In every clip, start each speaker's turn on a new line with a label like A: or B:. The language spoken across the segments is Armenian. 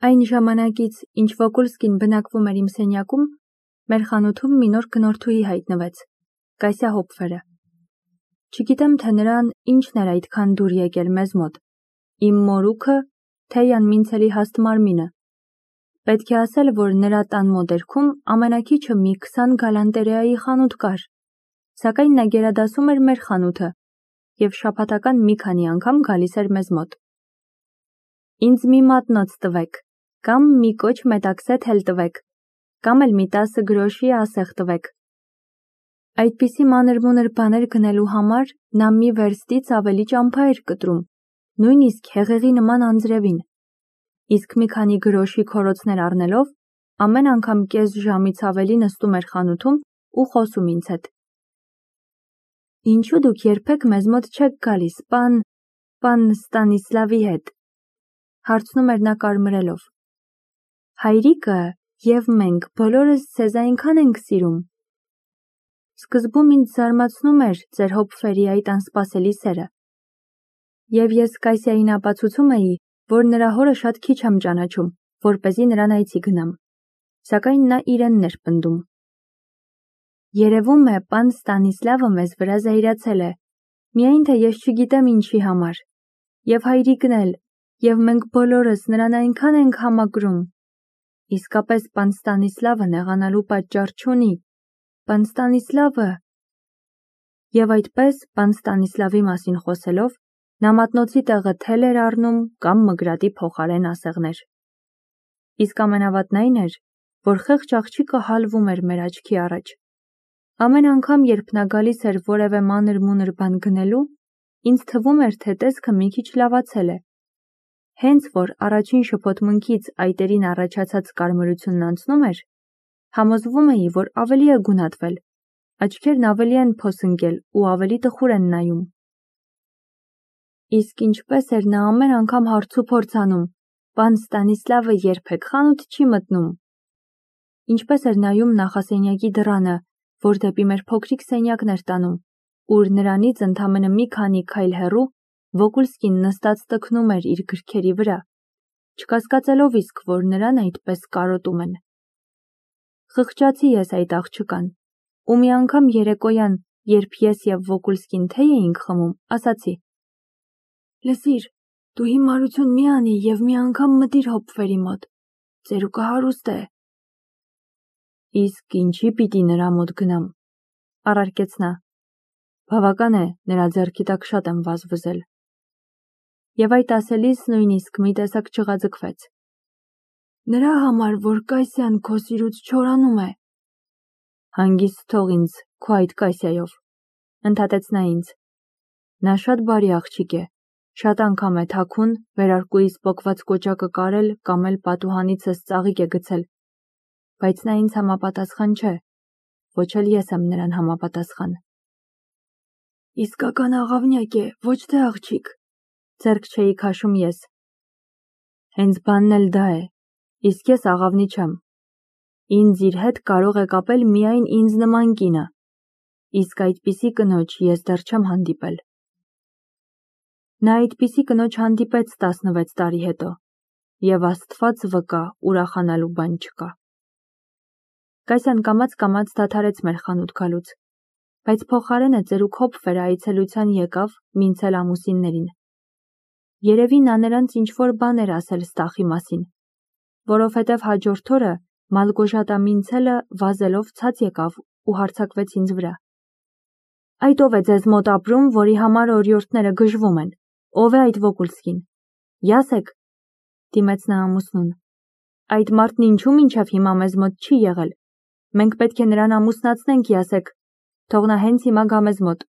A: Այն ժամանակից, ինչ Վոկուլսկին բնակվում էր իմ սենյակում, մեր խանութում մի նոր գնորդուհի հայտնվեց, Կասյա Հոփֆերը։ Չգիտեմ, թե նրան ինչն էր այդքան դուր եկել մեզ մոտ, իմ մորուքը, թե Յանմինցելի հաստ մարմինը։ Պետք է ասել, որ նրա տան մոտերքում ամենաքիչը մի 20 գալանտերեայի խանութ կար, սակայն նա գերադասում էր մեր խանութը և շաբաթական մի քանի անգամ գալիս էր մեզ մոտ։ Ինձ մի մատնոց տվեք, կամ մի կոչ մետաքսեթ էլ տվեք, կամ էլ մի 10 գրոշի ասեղ տվեք։ Այդպիսի մանր-մունր բաներ գնելու համար նա մի վերստից ավելի ճամփա էր կտրում, նույնիսկ հեղեղի նման անձրևին, իսկ մի քանի գրոշի քորոցներ առնելով, ամեն անգամ կես ժամից ավելի նստում էր խանութում ու խոսում ինձ հետ։ Ինչու դուք երբեք մեզ մոտ չեք գալիս, պան Ստանիսլավի հետ, հարցնում էր նա կարմրելով։ Հայրիկը և մենք բոլորս ձեզ այնքան ենք սիրում։ Սկզբում ինձ զարմացնում էր ձեր Հոփֆերի այդ անսպասելի սերը։ Եվ ես Կասյային ապացուցում էի, որ նրա հորը շատ քիչ եմ ճանաչում, որպեսզի նրան այցի գնամ, սակայն նա իրենն էր պնդում։ Երևում է, պան Ստանիսլավը մեզ վրա զայրացել է, միայն թե ես չգիտեմ ինչի համար, և հայրիկն էլ, և մենք բոլորս նրան այնքան ենք համակրում։ Իսկապես պան Ստանիսլավը նեղանալու պատճառ չունի, պան Ստանիսլավը… Եվ այդպես, պան Ստանիսլավի մասին խոսելով, նա մատնոցի տեղը թել էր առնում կամ մգրատի փոխարեն ասեղներ։ Իսկ ամենավատն այն էր, որ խեղճ աղջիկը հալվում էր մեր աչքի առաջ։ Ամեն անգամ, երբ նա գալիս էր որևէ մանր-մունր բան գնելու, ինձ թվում էր, թե տեսքը մի քիչ լավացել է։ Հենց որ առաջին շփոթմունքից այտերին առաջացած կարմրությունն անցնում էր, համոզվում էի, որ ավելի է գունատվել, աչքերն ավելի են փոսընկել ու ավելի տխուր են նայում։ Իսկ ինչպես էր նա ամեն անգամ հարցուփորձ անում, պան Ստանիսլավը երբեք խանութ չի մտնում։ Ինչպես էր նայում նախասենյակի դռանը, որ դեպի մեր փոքրիկ սենյակն էր տանում, ուր նրանից ընդամենը մի քանի քայլ հեռու Վոկուլսկին նստած տքնում էր իր գրքերի վրա, չկասկածելով իսկ, որ նրան այդպես կարոտում են։ Խղճացի ես այդ աղջկան, ու մի անգամ երեկոյան, երբ ես և Վոկուլսկին թեյ էինք խմում, ասացի. Լսիր, դու հիմարություն մի անի և մի անգամ մտիր Հոփֆերի մոտ, ծերուկը հարուստ է։ Իսկ ինչի պիտի նրա մոտ գնամ, առարկեց նա, բավական է, նրա ձեռքի տակ շատ եմ վազվզել։ Եվ այդ ասելիս նույնիսկ մի տեսակ չղաձգվեց։ Նրա համար, որ Կասյան քո սիրուց չորանում է։ Հանգիստ թող ինձ քո այդ Կասյայով, ընդհատեց նա ինձ։ Նա շատ բարի աղջիկ է, շատ անգամ է թաքուն, վերարկուիս պոկված կոճակը կարել կամ էլ պատուհանիցս ծաղիկ է գցել, բայց նա ինձ համապատասխան չէ, ոչ էլ ես եմ նրան համապատասխան։ Իսկական աղավնյակ է, ոչ թե աղջիկ, ձեռք չէի քաշում ես։ Հենց բանն էլ դա է, իսկ ես աղավնի չեմ։ Ինձ իր հետ կարող է կապել միայն ինձ նման կինը, իսկ այդպիսի կնոջ ես դեռ չեմ հանդիպել։ Նա այդպիսի կնոջ հանդիպեց 16 տարի հետո, և Աստված վկա, ուրախանալու բան չկա։ Կասյան կամաց-կամաց դադարեց մեր խանութ գալուց, բայց փոխարենը ծերուկ Հոփֆերը այցելության եկավ մինցել ամուսիններին։ Երևի նա նրանց ինչ-որ բան էր ասել Ստախի մասին, որովհետև հաջորդ օրը Մալգոժատա Մինցելը վազելով ցած եկավ ու հարձակվեց ինձ վրա։ Այդ ով է ձեզ մոտ ապրում, որի համար օրիորդները գժվում են, ով է այդ Վոկուլսկին։ Յասեք, դիմեց նա ամուսնուն։ Այդ մարդն ինչու մինչև հիմա մեզ մոտ չի եղել։ Մենք պետք է նրան ամուսնացնենք, յասեք, թող նա հենց հիմա գա մեզ մոտ։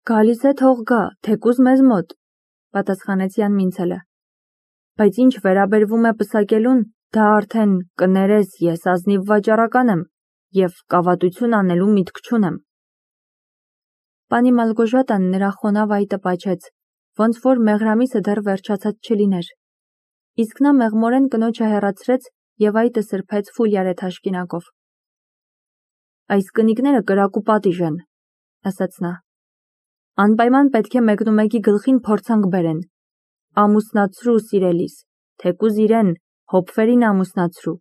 A: Գալիս է, թող գա, թեկուզ մեզ մոտ, պատասխանեց Յանմինցելը։ Բայց ինչ վերաբերվում է պսակելուն, դա արդեն կներես, ես ազնիվ վաճառական եմ և կավատություն անելու միտք չունեմ։ Պանի Մալգոժատան նրա խոնավ այտը պաչեց, ոնց որ մեղրամիսը դեռ վերջացած չլիներ։ Իսկ նա մեղմորեն կնոջը հեռացրեց և այտը սրբեց ֆուլյարե թաշկինակով։ Այս կնիկները կրակ ու պատիժ են, ասաց նա։ Անպայման պետք է մեկնումեկի գլխին փորձանք բերեն։ Ամուսնացրու սիրելիս, թեկուզ իրեն, հոպֆերին ամուսնացրու,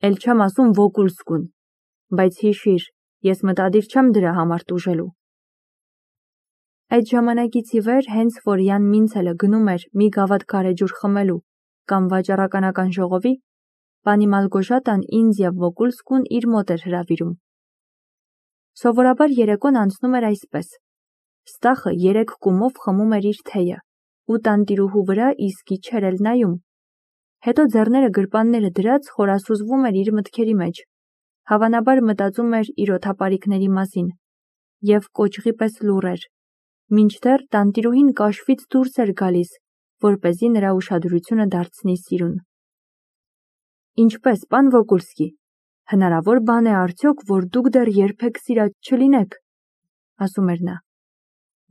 A: էլ չեմ ասում Վոկուլսկուն, բայց հիշիր, ես մտադիր չեմ դրա համար տուժելու։ Այդ ժամանակից ի վեր, հենց որ Յան Մինցելը գնում էր մի գավաթ գարեջուր խմելու կամ վաճառականական ժողովի, պանի Մալգոժատան ինձ եւ Վոկուլսկուն իր մոտ էր հրավիրում։ Սովորաբար երեկոն անցնում էր այսպես. Ստախը 3 կումով խմում էր իր թեյը ու տանտիրուհու վրա իսկի չէր էլ նայում։ Հետո ձեռները գրպանները դրած խորասուզվում էր իր մտքերի մեջ, հավանաբար մտածում էր իր օդապարիկների մասին եւ կոճղի պես լուռ էր, մինչդեռ տանտիրուհին կաշվից դուրս էր գալիս, որպեսզի նրա ուշադրությունը դարձնի սիրուն։ Ինչպես, պան Վոկուլսկի, հնարավոր բան է արդյոք, որ դուք դեռ երբեք սիրած չլինեք, ասում էր նա։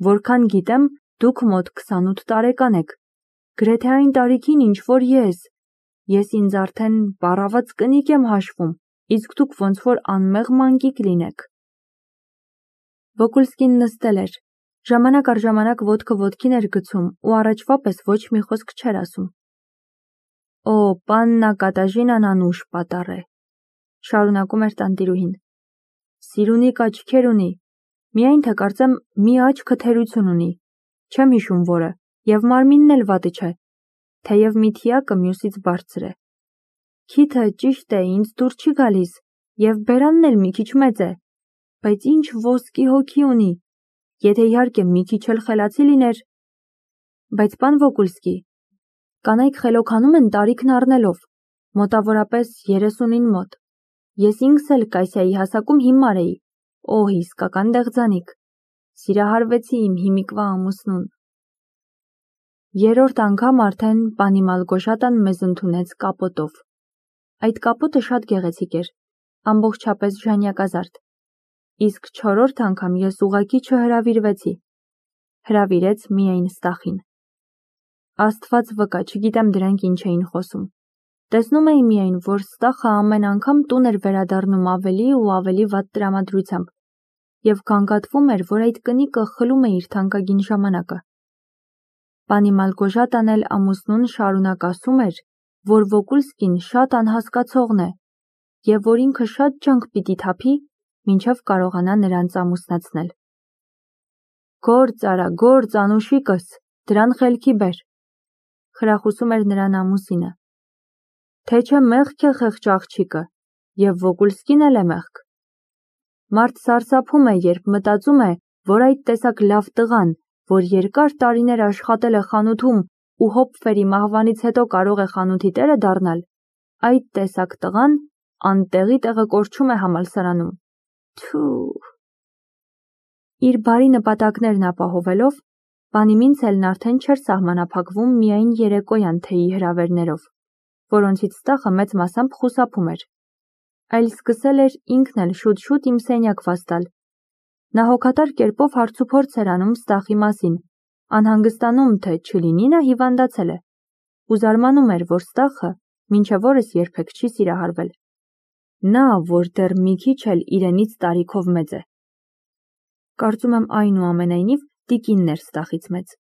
A: Որքան գիտեմ, դուք մոտ 28 տարեկան եք, գրեթե այն տարիքին, ինչ որ ես ինձ արդեն բառաված կնիկ եմ հաշվում, իսկ դուք ոնց որ անմեղ մանկիկ լինեք։ Վոկուլսկին նստել էր, ժամանակ առ ժամանակ ոտքը ոտքին էր գցում ու առաջվա պես ոչ մի խոսք չէր ասում։ Օ, պաննա Կատաժինան անուշ պատառ է, շարունակում էր տանտիրուհին։ Սիրունիկ աչքեր ունի, միայն թե կարծեմ մի աչքը թերություն ունի, չեմ հիշում որը, եւ մարմինն էլ վատը չէ, թեև մի թիակը մյուսից բարձր է։ Քիթը ճիշտ է, ինձ դուր չի գալիս, եւ բերանն էլ մի քիչ մեծ է, բայց ինչ ոսկի հոգի ունի, եթե իհարկե մի քիչ էլ խելացի լիներ։ Բայց պան Վոկուլսկի, կանայք խելոքանում են տարիքն առնելով, մոտավորապես 30-ին մոտ։ Ես ինքս էլ Կասիայի հասակում հիմար էի, օհ, իսկական դեղձանիկ։ Սիրահարվեցի իմ հիմիկվա ամուսնուն։ Երրորդ անգամ արդեն պանի Մալգոժատան մեզ ընդունեց կապոտով։ Այդ կապոտը շատ գեղեցիկ էր, ամբողջապես ժանյակազարդ։ Իսկ 4-րդ անգամ ես ուղղակի չհրավիրվեցի։ Հրավիրեց միայն Ստախին։ Աստված վկա, չգիտեմ դրանք ինչ էին խոսում։ Տեսնում էի միայն, որ Ստախը ամեն անգամ տուն էր վերադառնում ավելի ու ավելի վատ տրամադրությամբ եւ գանգատվում էր, որ այդ կնիկը խլում է իր թանկագին ժամանակը։ Պանի Մալգոժատան էլ ամուսնուն շարունակ ասում էր, որ Վոկուլսկին շատ անհասկացողն է եւ որ ինքը շատ ջանք պիտի թափի, մինչև կարողանա նրանց ամուսնացնել։ Գործ արա, գործ անուշիկս, դրան խելքի բեր, խրախուսում էր նրան ամուսինը։ Թե չէ մեղք է խեղճ աղջիկը, եւ Վոկուլսկին էլ է մեղք։ Մարդ սարսափում է, երբ մտածում է, որ այդ տեսակ լավ տղան, որ երկար տարիներ աշխատել է խանութում ու Հոպֆերի մահվանից հետո կարող է խանութի տերը դառնալ, այդ տեսակ տղան անտեղի տեղը կորչում է համալսարանում։ Թու։ Իր բարի նպատակներն ապահովելով, պանի Մինցելն արդեն չէր սահմանափակվում միայն երեկոյան թեյի հրավերներով, որոնցից Ստախը մեծ մասամբ խուսափում էր, այլ սկսել էր ինքն էլ շուտ-շուտ իմ սենյակ վաստալ։ Նա հոգատար կերպով հարցուփորձ էր անում Ստախի մասին, անհանգստանում, թե չլինի նա հիվանդացել է, ու զարմանում էր, որ Ստախը մինչև օրս երբեք չի սիրահարվել։ Նա, որ դեռ մի քիչ էլ իրենից տարիքով մեծ է։ Կարծում եմ այնուամենայնիվ տիկինն էր Ստախից մեծ։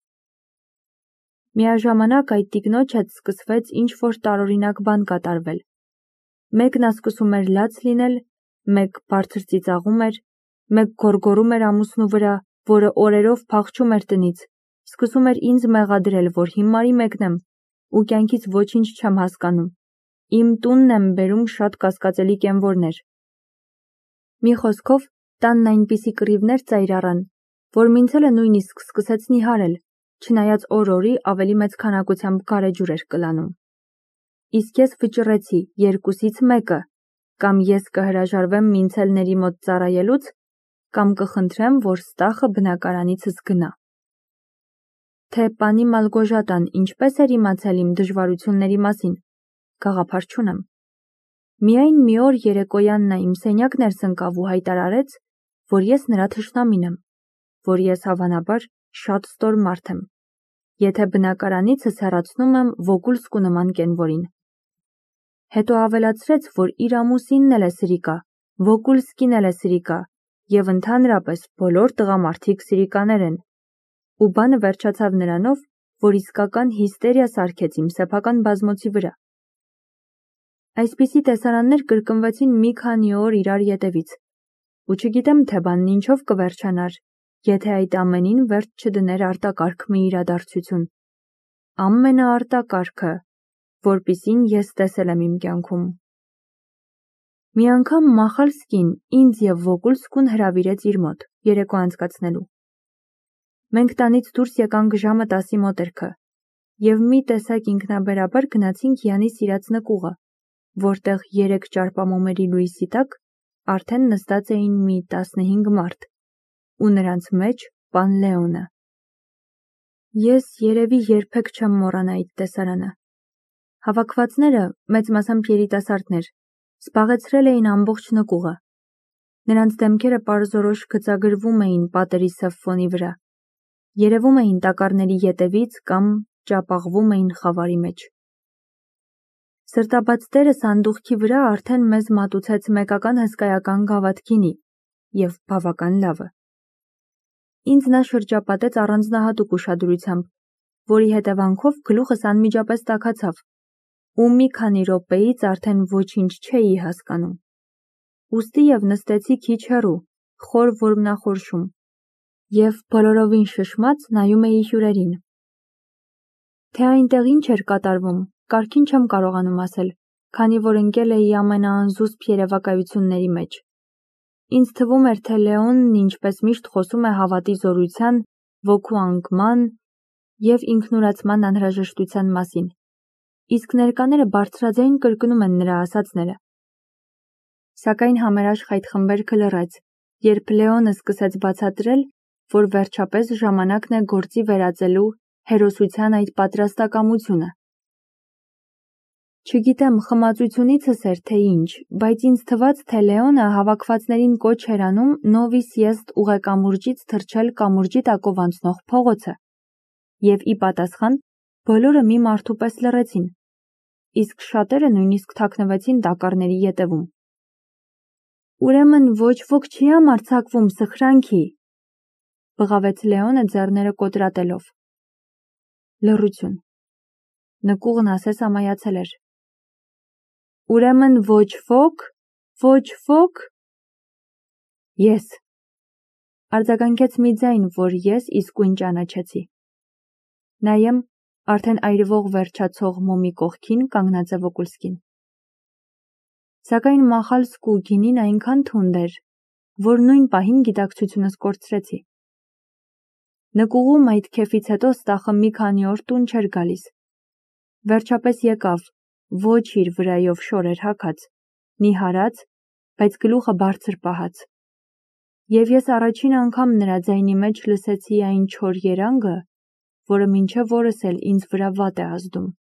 A: Միաժամանակ այդ տիկնոջ հետ սկսվեց ինչ-որ տարօրինակ բան կատարվել։ Մեկ նա սկսում էր լաց լինել, մեկ բարձր ծիծաղում էր, մեկ գոռգոռում էր ամուսնու վրա, որը օրերով փախչում էր տնից, սկսում էր ինձ մեղադրել, որ հիմարի մեկն եմ ու կյանքից ոչինչ չեմ հասկանում։ Իմ տունն եմ բերում շատ կասկածելի կենվորներ։ Մի խոսքով, տանն այնպիսի կռիվներ ծայր առան, որ Մինցելը նույնիսկ սկսեց նիհարել, չնայած օր-օրի ավելի մեծ քանակությամբ գարեջուր էր կլանում։ Իսկ ես վճռեցի երկուսից մեկը, կամ ես կհրաժարվեմ Մինցելների մոտ ծառայելուց, կամ կխնդրեմ, որ Ստախը բնակարանիցս գնա։ Թե պանի Մալգոժատան ինչպես էր իմացել իմ դժվարությունների մասին, գաղափար չունեմ։ Միայն մի օր երեկոյան նա իմ սենյակ ներս ընկավ ու հայտարարեց, որ ես նրա թշնամին եմ, որ ես հավանաբար շատ ստոր մարդ եմ, եթե բնակարանիցս հեռացնում եմ Վոկուլսկու նման կենվորին։ Հետո ավելացրեց, որ իր ամուսինն էլ է սրիկա, Վոկուլսկին էլ է սրիկա, եւ ընդհանրապես բոլոր տղամարդիկ սիրիկաներ են, ու բանը վերջացավ նրանով, որ իսկական հիստերիա սարքեց իմ սեփական բազմոցի վրա։ Այսպիսի տեսարաններ կրկնվեցին մի քանի օր իրար ետևից, ու չգիտեմ թե բանն ինչով կվերջանար, եթե այդ ամենին վերջ չդներ արտակարգ մի իրադարձություն, ամենաարտակարգը, որպիսին ես տեսել եմ իմ կյանքում։ Մի անգամ Մախալսկին ինձ և Վոգուլսկուն հրավիրեց իր մոտ երեկո անցկացնելու։ Մենք տանից դուրս եկանք ժամը 10-ի մոտերքը և մի տեսակ ինքնաբերաբար գնացինք Յանի սիրած նկուղը, որտեղ 3 ճարպամոմերի լույսի տակ արդեն նստած էին մի 15 մարդ, ու նրանց մեջ պան Լեոնը։ Ես երևի երբեք չեմ մոռանա այդ տեսարանը։ Հավաքվածները, մեծ մասամբ երիտասարդներ, զբաղեցրել էին ամբողջ նկուղը։ Նրանց դեմքերը պարզորոշ գծագրվում էին պատերի սև ֆոնի վրա, երևում էին տակառների ետևից կամ ճապաղվում էին խավարի մեջ։ Սրտաբաց տերը սանդուղքի վրա արդեն մեզ մատուցեց մեկական հսկայական գավաթ գինի և բավական լավը։ Ինձ նա շրջապատեց առանձնահատուկ ուշադրությամբ, որի հետևանքով գլուխս անմիջապես տաքացավ, ու մի քանի րոպեից արդեն ոչինչ չէի հասկանում։ Ուստի և նստեցի քիչ հեռու, խոր որմնախորշում, և բոլորովին շշմած նայում էի հյուրերին։ Թե այնտեղ ինչ էր կատարվում, կարգին չեմ կարողանում ասել, քանի որ ընկել էի ամենաանզուսպ երևակայությունների մեջ։ Ինձ թվում էր, թե Լեոնն ինչպես միշտ խոսում է հավատի զորության, ոգու անկման և ինքնուրացման անհրաժեշտության մասին, իսկ ներկաները բարձրաձայն կրկնում են նրա ասածները։ Սակայն համերաշխ այդ խմբերքը լռեց, երբ Լեոնը սկսեց բացատրել, որ վերջապես ժամանակն է գործի վերածելու հերոսության այդ պատրաստակամությունը։ Չգիտեմ խմածությունիցս էր թե ինչ, բայց ինձ թվաց, թե Լեոնը հավաքվածներին կոչ էր անում նովիս եստ ուղեկամուրջից թռչել կամուրջի տակով անցնող փողոցը, և ի պատասխան բոլորը մի մարդու պես լռեցին, իսկ շատերը նույնիսկ թաքնվեցին տակառների ետևում։ Ուրեմն ոչ ոք չի համարձակվում սխրանքի, բղավեց Լեոնը ձեռները կոտրատելով։ Լռություն։ Նկուղն ասես ամայացել էր։ Ուրեմն ոչ ոք։ Ես։ Արձագանքեց մի ձայն, որ ես իսկույն ճանաչեցի։ Նայեմ, արդեն այրվող վերջացող մոմի կողքին կանգնած է Վոգուլսկին։ Սակայն Մախալսկու գինին այնքան թունդ էր, որ նույն պահին գիտակցությունս կորցրեցի։ Նկուղում այդ քեֆից հետո Ստախը մի քանի օր տուն չէր գալիս։ Վերջապես եկավ, ոչ իր վրայով շորեր հագած, նիհարած, բայց գլուխը բարձր պահած։ Եվ ես առաջին անգամ նրա ձայնի մեջ լսեցի այն չոր երանգը, որը մինչև օրս էլ ինձ վրա վատ է ազդում։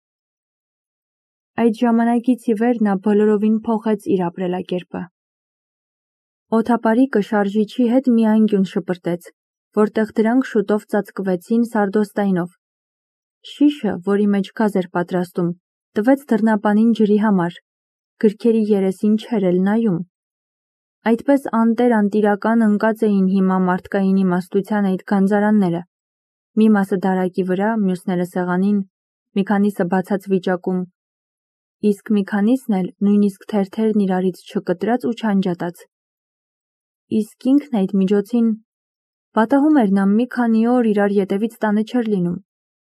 A: Այդ ժամանակից ի վեր նա բոլորովին փոխեց իր ապրելակերպը։ Օդապարիկը շարժիչի հետ մի անկյուն շպրտեց, որտեղ դրանք շուտով ծածկվեցին սարդոստայնով։ Շիշը, որի մեջ գազ էր պատրաստում, տվեց դռնապանին ջրի համար, գրքերի երեսին չէր էլ նայում։ Այդպես անտեր-անտիրական ընկած էին հիմա մարդկային իմաստության այդ գանձարանները, մի մասը դարակի վրա, մյուսները սեղանին, մի քանիսը բացած վիճակում, իսկ մի քանիսն էլ նույնիսկ թերթերն իրարից չկտրած ու չանջատած։ Իսկ ինքն այդ միջոցին պատահում էր նա մի քանի օր իրար ետևից տանը չէր լինում,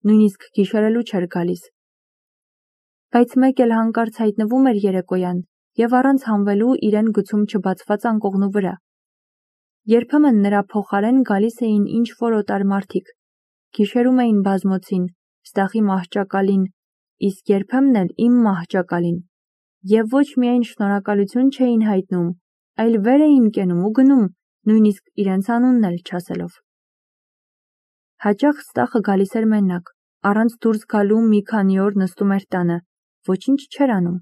A: նույնիսկ գիշերելու չէր գալիս։ Բայց մեկ էլ հանկարծ հայտնվում էր երեկոյան և առանց հանվելու իրեն գցում չբացված անկողնու վրա։ Երբեմն նրա փոխարեն գալիս էին ինչ-որ օտար մարդիկ, գիշերում էին բազմոցին, Ստախի մահճակալին, իսկ երբեմն էլ իմ մահճակալին, և ոչ միայն շնորհակալություն չէին հայտնում, այլ վեր էին կենում ու գնում, նույնիսկ իրենց անունն էլ չասելով։ Հաճախ Ստախը գալիս էր մենակ, առանց դուրս գալու մի քանի օր նստում էր տանը, ոչինչ չէր անում,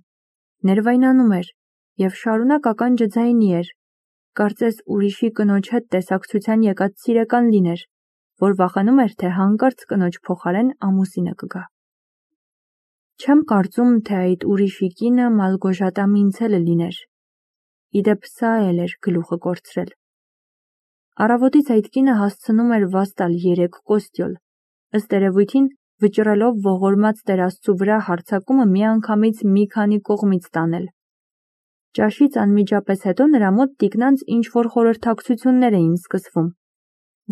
A: ներվայնանում էր և շարունակ ականջը ձայնի էր, կարծես ուրիշի կնոջ հետ տեսակցության եկած սիրեկան լիներ, որ վախենում էր, թե հանկարծ կնոջ փոխարեն ամուսինը կգա։ Չեմ կարծում, թե այդ ուրիշի կինը Մալգոժատա Մինցելը լիներ։ Իդեպ սա էլ էր գլուխը կորցրել։ Առավոտից այդ կինը հասցնում էր վաստալ 3 կոստյոլ, ըստ երևույթին վճռելով ողորմած Տեր Աստծու վրա հարձակումը միանգամից մի քանի կողմից տանել։ Ճաշից անմիջապես հետո նրա մոտ տիկնանց ինչ-որ խորհրդակցություններ էին սկսվում,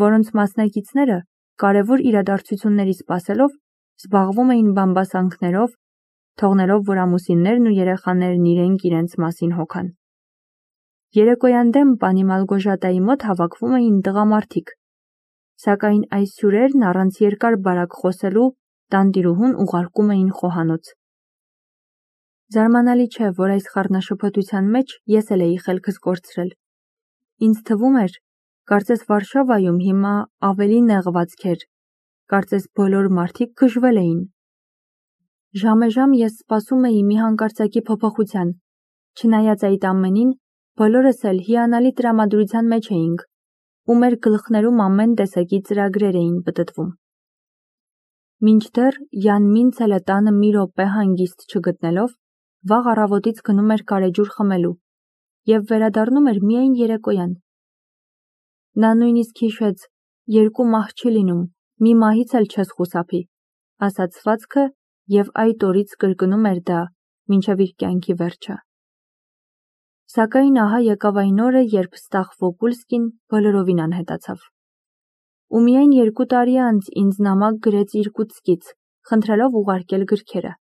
A: որոնց մասնակիցները կարևոր իրադարձությունների սպասելով զբաղվում էին բամբասանքներով, թողնելով, որ ամուսիններն ու երեխաներն իրենք մասին հոգան։ Երեկոյան դեմ պանի Մալգոժատայի մոտ հավաքվում էին տղամարդիկ, սակայն այս հյուրերն առանց երկար բարակ խոսելու տանտիրուհուն ուղարկում էին խոհանոց։ Զարմանալի չէ, որ այս խառնաշփոթության մեջ ես էլ էի խելքս կորցրել։ Ինձ թվում էր, կարծես Վարշավայում հիմա ավելի նեղվածք էր, կարծես բոլոր մարդիկ գժվել էին։ Ժամեժամ ես սպասում էի մի հանկարծակի փոփոխության, չնայած այդ ամենին բոլորս էլ հիանալի տրամադրության մեջ էինք, ու մեր գլխներում ամեն տեսակի ծրագրեր էին պտտվում։ Մինչդեռ Յան Մինցելը տանը մի րոպե հանգիստ չգտնելով, վաղ առավոտից գնում էր գարեջուր խմելու և վերադառնում էր միայն երեկոյան։ Նա նույնիսկ հիշեց, երկու մահ չի լինում, մի մահից էլ չես խուսափի, ասաց սվածքը և այդ օրից կրկնում էր դա մինչև իր կյանքի վերջը։ Սակայն ահա եկավ այն օրը, երբ Ստախ Վոկուլսկին բոլորովին անհետացավ։ Ու միայն 2 տարի անց ինձ նամակ գրեց Իրկուտսկից, խնդրելով ուղարկել գրքերը։